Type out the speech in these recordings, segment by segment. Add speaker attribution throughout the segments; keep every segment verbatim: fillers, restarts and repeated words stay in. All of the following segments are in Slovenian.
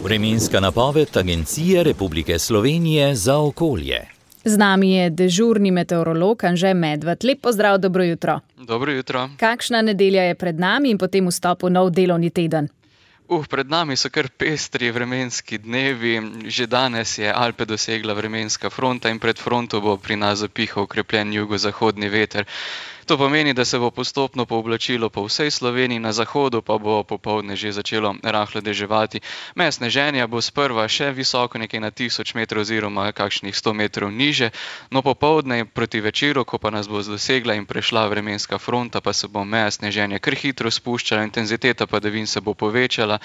Speaker 1: Vremenska napoved Agencije Republike Slovenije za okolje.
Speaker 2: Z nami je dežurni meteorolog Anže Medved. Lep pozdrav, dobro jutro.
Speaker 3: Dobro jutro.
Speaker 2: Kakšna nedelja je pred nami in potem vstop v nov delovni teden?
Speaker 3: Uh, pred nami so kar pestri vremenski dnevi. Že danes je Alpe dosegla vremenska fronta in pred fronto bo pri nas zapihal okrepljen jugozahodni veter. To pomeni, da se bo postopno pooblačilo po vsej Sloveniji, na zahodu pa bo popoldne že začelo rahlo deževati. Meja sneženja bo sprva še visoko, nekaj na tisoč metrov oziroma kakšnih sto metrov niže, no popoldne proti večeru, ko pa nas bo dosegla in prešla vremenska fronta, pa se bo meja sneženja kar hitro spuščala, intenziteta padavin se bo povečala.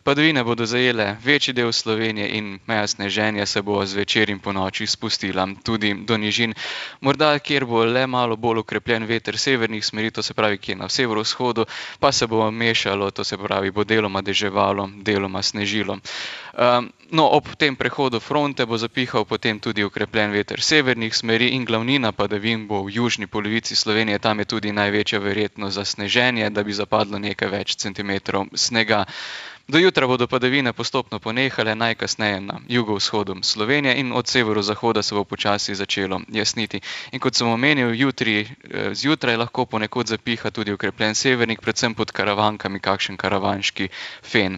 Speaker 3: Padavine bodo zajele večji del Slovenije in meja sneženja se bo zvečer in ponoči spustila tudi do nižin. Morda, kjer bo le malo bolj okrepljen veter severnih smeri, to se pravi, kjer na severovzhodu, pa se bo mešalo, to se pravi, bo deloma deževalo, deloma snežilo. Um, no, ob tem prehodu fronte bo zapihal potem tudi okrepljen veter severnih smeri in glavnina padavin bo v južni polovici Slovenije, tam je tudi največja verjetnost za sneženje, da bi zapadlo nekaj več centimetrov snega. Do jutra bodo padavine postopno ponehale, najkasneje na jugovzhodu Slovenije in od severozahoda se bo počasi začelo jasniti. In kot sem omenil, jutri zjutraj lahko ponekod zapiha tudi okrepljen severnik, predvsem pod karavankami, kakšen karavanški fen.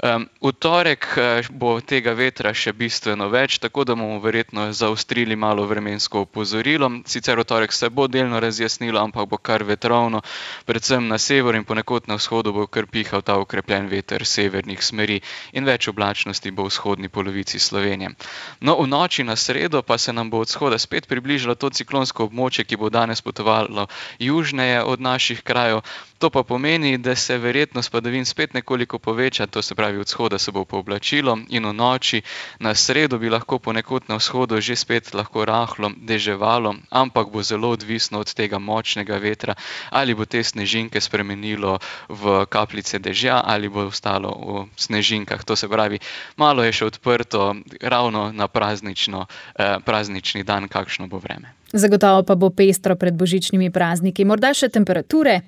Speaker 3: Um, v torek bo tega vetra še bistveno več, tako da bomo verjetno zaostrili malo vremensko opozorilo. Sicer v torek se bo delno razjasnilo, ampak bo kar vetrovno, predvsem na severu in ponekod na vzhodu bo kar pihal ta okrepljen veter severnih smeri in več oblačnosti bo v vzhodni polovici Slovenije. No, v noči na sredo pa se nam bo od vzhoda spet približalo to ciklonsko območje, ki bo danes potovalo južneje od naših krajev. To pa pomeni, da se verjetnost padavin spet nekoliko poveča, to se pravi, od vzhoda se bo pooblačilo in v noči na sredo bi lahko ponekod na vzhodu že spet lahko rahlo deževalo, ampak bo zelo odvisno od tega močnega vetra, ali bo te snežinke spremenilo v kapljice dežja ali bo ostalo v snežinkah. To se pravi, malo je še odprto ravno na praznično, eh, praznični dan, kakšno bo vreme.
Speaker 2: Zagotovo pa bo pestro pred božičnimi prazniki. Morda še temperature?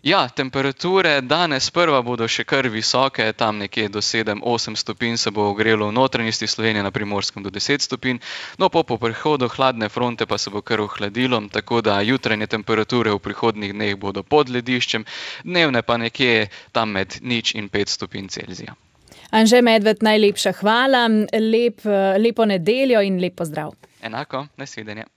Speaker 3: Ja, temperature danes prva bodo še kar visoke, tam nekje do sedem osem stopinj se bo ogrelo v notranjosti Slovenije, na Primorskem do deset stopinj, no po prehodu hladne fronte pa se bo kar ohladilo, tako da jutranje temperature v prihodnjih dneh bodo pod lediščem, dnevne pa nekje tam med nič in pet stopinj Celzija.
Speaker 2: Anže Medved, najlepša hvala, lep, lepo nedeljo in lep pozdrav.
Speaker 3: Enako, nasvidenje.